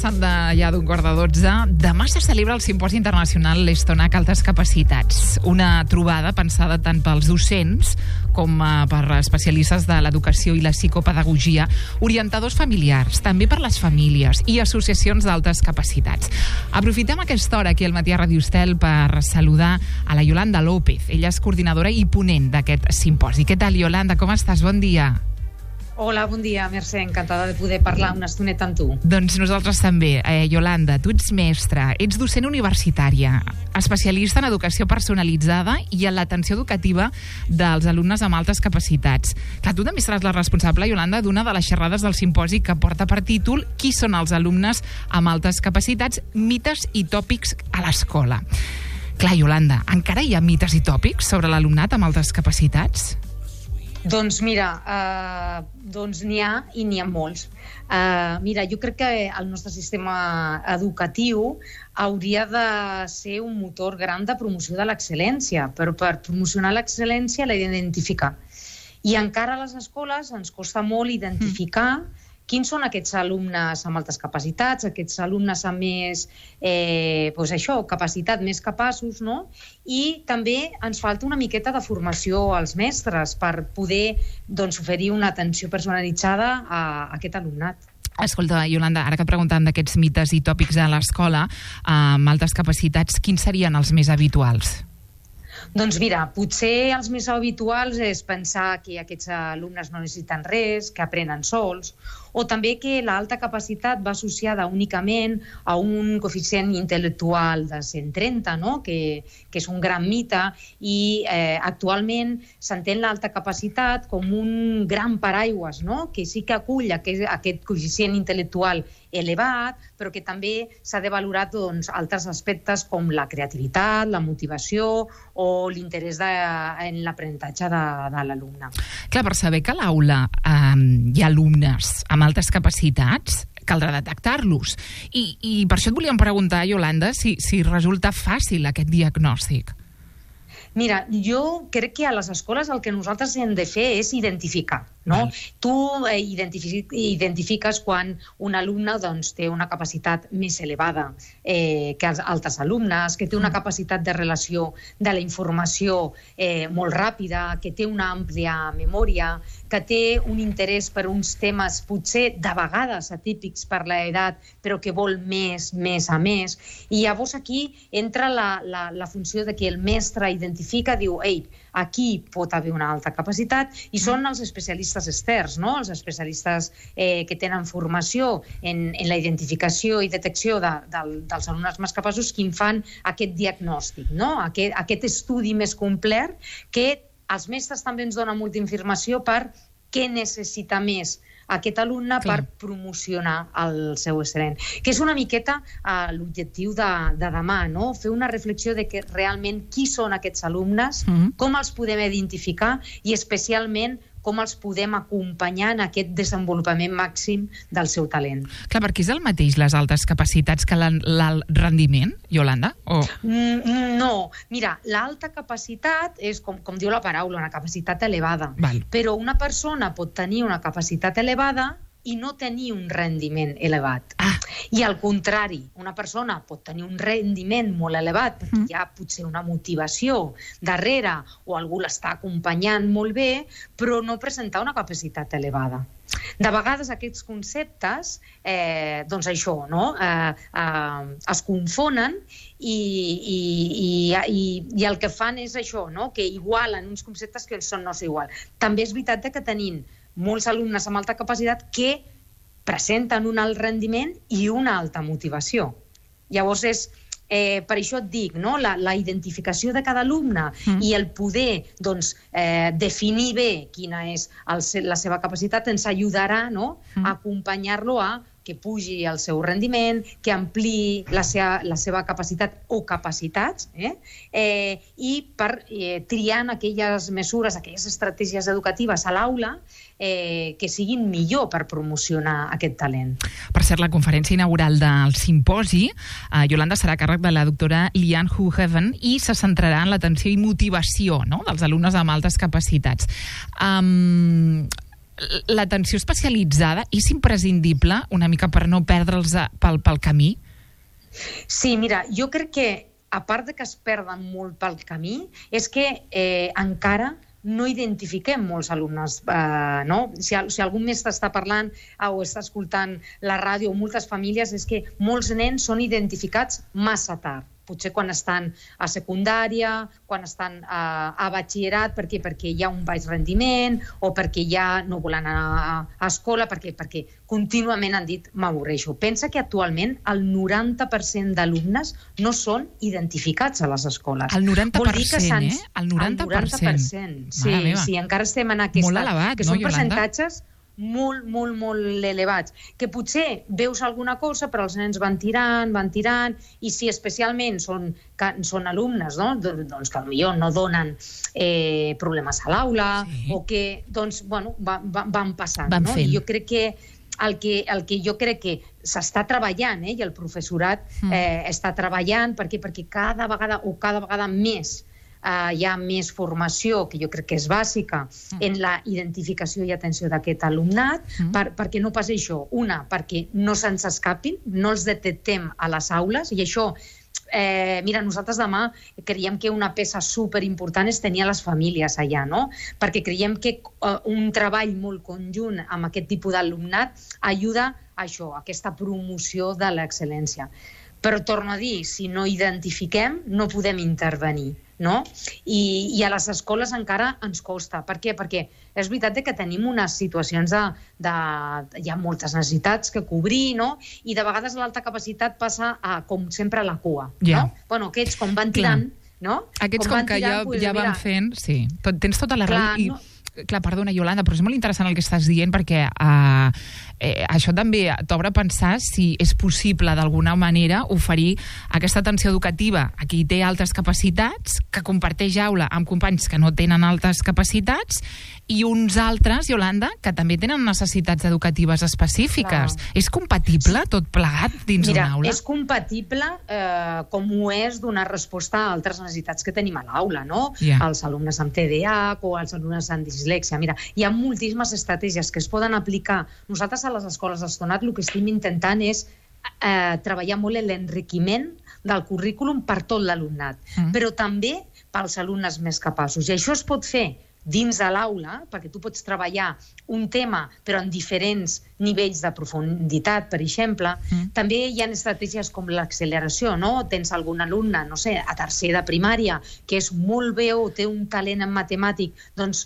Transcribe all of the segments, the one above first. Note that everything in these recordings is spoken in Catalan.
passat ja d'un 11:15. Demà se celebra el Simposi Internacional l'Estonac Altes Capacitats. Una trobada pensada tant pels docents com per especialistes de l'educació i la psicopedagogia, orientadors familiars, també per les famílies i associacions d'altes capacitats. Aprofitem aquesta hora aquí al Matí a Ràdio Estel per saludar a la Yolanda López. Ella és coordinadora i ponent d'aquest simposi. Què tal, Yolanda? Com estàs? Bon dia. Hola, bon dia, Mercè. Encantada de poder parlar una estoneta amb tu. Doncs nosaltres també. Yolanda, tu ets mestra, ets docent universitària, especialista en educació personalitzada i en l'atenció educativa dels alumnes amb altes capacitats. Clar, tu també seràs la responsable, Yolanda, d'una de les xerrades del simposi que porta per títol Qui són els alumnes amb altes capacitats? Mites i tòpics a l'escola. Clar, Yolanda, encara hi ha mites i tòpics sobre l'alumnat amb altes capacitats? Doncs mira, n'hi ha i n'hi ha molts. Mira, jo crec que el nostre sistema educatiu hauria de ser un motor gran de promoció de l'excel·lència, però per promocionar l'excel·lència l'he d'identificar. I encara a les escoles ens costa molt identificar quins són aquests alumnes amb altes capacitats, aquests alumnes amb més capacitat, més capaços, no? I també ens falta una miqueta de formació als mestres per poder oferir una atenció personalitzada a aquest alumnat. Escolta, Yolanda, ara que et preguntàvem d'aquests mites i tòpics a l'escola amb altes capacitats, quins serien els més habituals? Doncs mira, potser els més habituals és pensar que aquests alumnes no necessiten res, que aprenen sols, o també que l'alta capacitat va associada únicament a un coeficient intel·lectual de 130, no? que és un gran mite, i actualment s'entén l'alta capacitat com un gran paraigües, no? Que sí que acull aquest coeficient intel·lectual elevat, però que també s'ha de valorar altres aspectes com la creativitat, la motivació o l'interès en l'aprenentatge de l'alumne. Clar, per saber que a l'aula hi ha alumnes amb altes capacitats, caldrà detectar-los. I per això et volíem preguntar, Yolanda, si resulta fàcil aquest diagnòstic. Mira, jo crec que a les escoles el que nosaltres hem de fer és identificar, no? Tu identifiques quan un alumne té una capacitat més elevada que els altres alumnes, que té una capacitat de relació de la informació molt ràpida, que té una àmplia memòria, que té un interès per uns temes potser de vegades atípics per l'edat, però que vol més a més. I llavors aquí entra la funció de que el mestre identifica, diu, ei, aquí pot haver una alta capacitat, i són els especialistes externs, no? Els especialistes que tenen formació en la identificació i detecció dels alumnes més capaços qui en fan aquest diagnòstic, no? Aquest estudi més complet que els mestres també ens donen molta informació per què necessita més aquest alumne per promocionar el seu excel·lent. Que és una miqueta l'objectiu de demà, no? Fer una reflexió de que realment qui són aquests alumnes, com els podem identificar i especialment com els podem acompanyar en aquest desenvolupament màxim del seu talent. Clar, perquè és el mateix les altes capacitats que l'alt rendiment, Yolanda? No, mira, l'alta capacitat és, com diu la paraula, una capacitat elevada. Però una persona pot tenir una capacitat elevada i no tenir un rendiment elevat. I al contrari, una persona pot tenir un rendiment molt elevat perquè hi ha potser una motivació darrere o algú l'està acompanyant molt bé, però no presentar una capacitat elevada. De vegades aquests conceptes, es confonen i el que fan és això, que igualen uns conceptes que no són igual. També és veritat que tenim molts alumnes amb alta capacitat que presenten un alt rendiment i una alta motivació. Llavors, per això et dic, la identificació de cada alumne i el poder definir bé quina és la seva capacitat ens ajudarà a acompanyar-lo a que pugi el seu rendiment, que ampliï la seva capacitat o capacitats, i per triar aquelles mesures, aquelles estratègies educatives a l'aula que siguin millor per promocionar aquest talent. Per cert, la conferència inaugural del simposi, Yolanda, serà a càrrec de la doctora Lian Hu-Heaven i se centrarà en l'atenció i motivació dels alumnes amb altes capacitats. l'atenció especialitzada és imprescindible una mica per no perdre'ls pel camí? Sí, mira, jo crec que, a part de que es perden molt pel camí, és que encara no identifiquem molts alumnes, no? Si algun mestre està parlant o està escoltant la ràdio o moltes famílies, és que molts nens són identificats massa tard. Potser quan estan a secundària, quan estan a batxillerat, perquè hi ha un baix rendiment o perquè ja no volen anar a escola, perquè contínuament han dit m'avorreixo. Pensa que actualment el 90% d'alumnes no són identificats a les escoles. El 90%, El 90%. Sí, encara estem en aquesta... Molt elevat, que no, són Iolanda? percentatges molt elevats, que potser veus alguna cosa però els nens van tirant, i si especialment són alumnes, no? Doncs que potser no donen problemes a l'aula, o que van passant. I jo crec que el que jo crec que s'està treballant, i el professorat està treballant, perquè cada vegada més hi ha més formació, que jo crec que és bàsica, en la identificació i atenció d'aquest alumnat, perquè no passi això. Una, perquè no se'ns escapin, no els detectem a les aules, i això, mira, nosaltres demà creiem que una peça superimportant és tenir a les famílies allà, no? Perquè creiem que un treball molt conjunt amb aquest tipus d'alumnat ajuda a això, a aquesta promoció de l'excel·lència. Però torno a dir, si no identifiquem, no podem intervenir, no? I a les escoles encara ens costa. Per què? Perquè és veritat que tenim unes situacions hi ha moltes necessitats que cobrir, no? I de vegades l'alta capacitat passa, com sempre, a la cua, no? Bueno, aquests com van tirant, no? Aquests com que ja van fent, sí. Tens tota la raó. Clar, perdona, Iolanda, però és molt interessant el que estàs dient, perquè això també t'obre a pensar si és possible d'alguna manera oferir aquesta atenció educativa a qui té altes capacitats, que comparteix aula amb companys que no tenen altes capacitats, i uns altres, Iolanda, que també tenen necessitats educatives específiques. És compatible tot plegat dins d'una aula? Mira, és compatible com ho és donar resposta a altres necessitats que tenim a l'aula, no? Els alumnes amb TDAH o els alumnes amb dislèxia. Mira, hi ha moltíssimes estratègies que es poden aplicar. Nosaltres a les escoles d'Estonat el que estem intentant és treballar molt en l'enriquiment del currículum per tot l'alumnat, però també pels alumnes més capaços. I això es pot fer dins de l'aula, perquè tu pots treballar un tema però en diferents nivells de profunditat, per exemple. També hi ha estratègies com l'acceleració, no? Tens algun alumne, no sé, a tercer de primària, que és molt bé o té un talent en matemàtic, doncs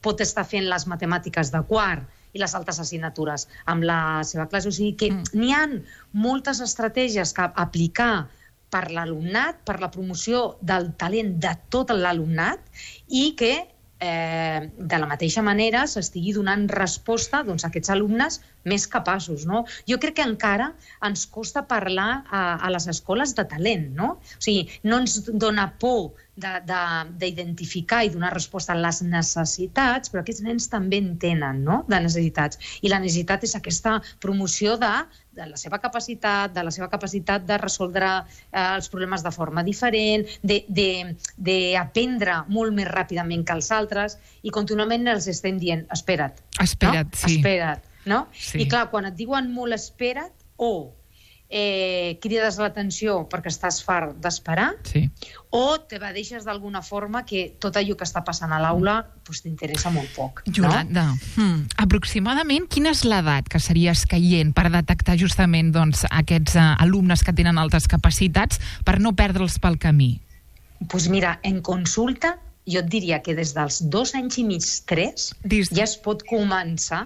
pot estar fent les matemàtiques de quart i les altres assignatures amb la seva classe. O sigui que n'hi ha moltes estratègies que aplicar per l'alumnat, per la promoció del talent de tot l'alumnat, i que de la mateixa manera s'estigui donant resposta a aquests alumnes més capaços, no? Jo crec que encara ens costa parlar a les escoles de talent, no? O sigui, no ens dona por d'identificar i donar resposta a les necessitats, però aquests nens també en tenen, no?, de necessitats. I la necessitat és aquesta promoció de la seva capacitat, de resoldre els problemes de forma diferent, d'aprendre molt més ràpidament que els altres, i contínuament els estem dient, espera't, no? I clar, quan et diuen molt espera't, crides l'atenció perquè estàs fart d'esperar, o t'evadeixes d'alguna forma que tot allò que està passant a l'aula t'interessa molt poc. Iolanda, aproximadament quina és l'edat que seria escaient per detectar justament aquests alumnes que tenen altes capacitats per no perdre'ls pel camí? Doncs mira, en consulta jo et diria que des dels 2 anys i mig, 3, ja es pot començar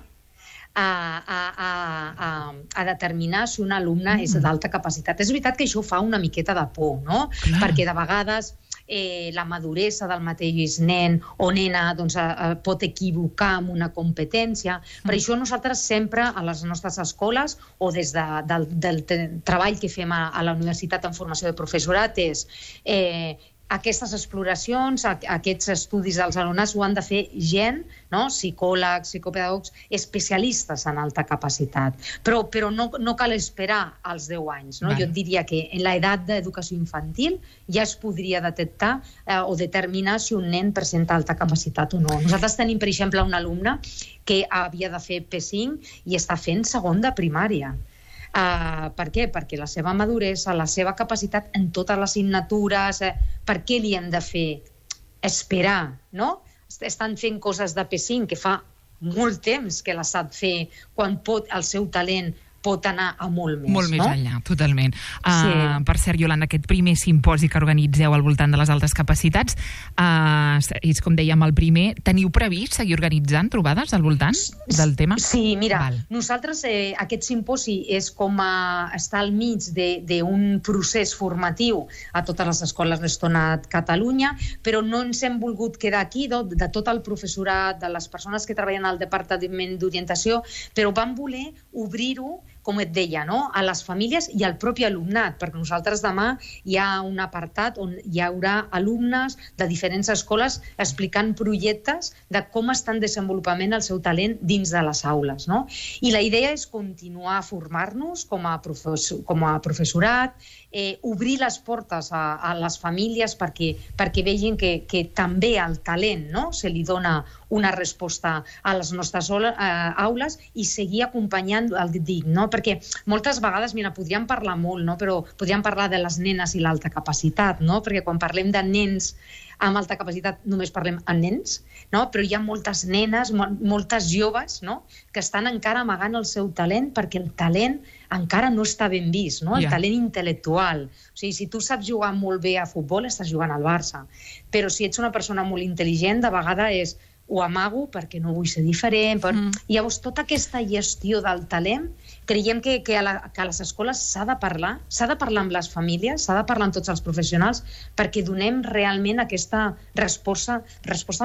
a determinar si un alumne és d'alta capacitat. És veritat que això fa una miqueta de por, no? Perquè de vegades la maduresa del mateix nen o nena pot equivocar amb una competència. Per això nosaltres sempre a les nostres escoles o des del treball que fem a la universitat en formació de professorat és aquestes exploracions, aquests estudis dels alumnats ho han de fer gent, no? Psicòlegs, psicopedagogs, especialistes en alta capacitat. Però no cal esperar als 10 anys. No? Jo diria que en l'edat d'educació infantil ja es podria detectar o determinar si un nen presenta alta capacitat o no. Nosaltres tenim, per exemple, un alumne que havia de fer P5 i està fent segon de primària. Per què? Perquè la seva maduresa, la seva capacitat en totes les assignatures, per què li hem de fer esperar, no? Estan fent coses de P5 que fa molt temps que les sap fer, quan el seu talent pot anar a molt més. Molt més enllà, totalment. Per cert, Iolanda, aquest primer simposi que organitzeu al voltant de les altes capacitats, és com dèiem el primer, teniu previst seguir organitzant trobades al voltant del tema? Sí, mira, nosaltres aquest simposi és com estar al mig d'un procés formatiu a totes les escoles d'Estona a Catalunya, però no ens hem volgut quedar aquí, de tot el professorat, de les persones que treballen al Departament d'Orientació, però vam voler obrir-ho, com et deia, a les famílies i al propi alumnat, perquè nosaltres demà hi ha un apartat on hi haurà alumnes de diferents escoles explicant projectes de com estan desenvolupant el seu talent dins de les aules. I la idea és continuar a formar-nos com a professorat, obrir les portes a les famílies perquè vegin que també el talent se li dona una resposta a les nostres aules i seguir acompanyant el DIC, perquè moltes vegades, mira, podríem parlar molt, però podríem parlar de les nenes i l'alta capacitat, perquè quan parlem de nens amb alta capacitat només parlem amb nens, però hi ha moltes nenes, moltes joves que estan encara amagant el seu talent perquè el talent encara no està ben vist, el talent intel·lectual. O sigui, si tu saps jugar molt bé a futbol, estàs jugant al Barça. Però si ets una persona molt intel·ligent, de vegades ho amago perquè no vull ser diferent. Llavors, tota aquesta gestió del talent, creiem que a les escoles s'ha de parlar amb les famílies, s'ha de parlar amb tots els professionals perquè donem realment aquesta resposta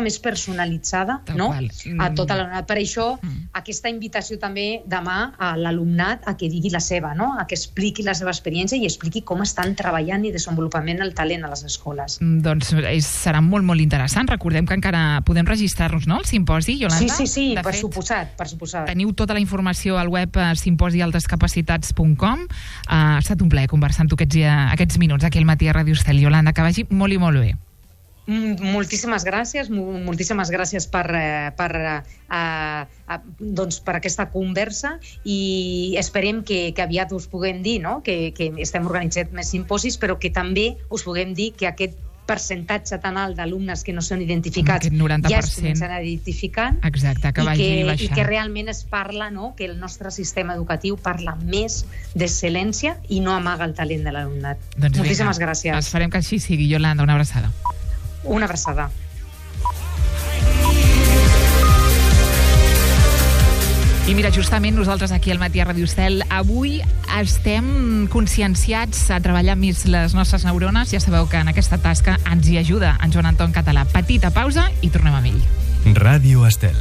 més personalitzada a tot l'alumnat. Per això, aquesta invitació també demà a l'alumnat a que digui la seva, a que expliqui la seva experiència i expliqui com estan treballant i desenvolupament el talent a les escoles. Doncs serà molt, molt interessant. Recordem que encara podem registrar-nos, al simposi, Iolanda? Sí, per suposat. Teniu tota la informació al web simposialtescapacitats.com. Ha estat un plaer conversar amb tu aquests minuts aquí al matí a Ràdio Estel. Iolanda, que vagi molt i molt bé. Moltíssimes gràcies per aquesta conversa i esperem que aviat us puguem dir que estem organitzant més simposis, però que també us puguem dir que aquest percentatge tan alt d'alumnes que no són identificats ja es comencen a identificar. Exacte, que vagi baixant. I que realment es parla, que el nostre sistema educatiu parla més d'excel·lència i no amaga el talent de l'alumnat. Moltíssimes gràcies. Esperem que així sigui, Iolanda. Una abraçada. Una abraçada. I mira, justament nosaltres aquí al matí a Ràdio Estel avui estem conscienciats a treballar més les nostres neurones. Ja sabeu que en aquesta tasca ens hi ajuda en Joan Anton Català. Petita pausa i tornem amb ell. Ràdio Estel.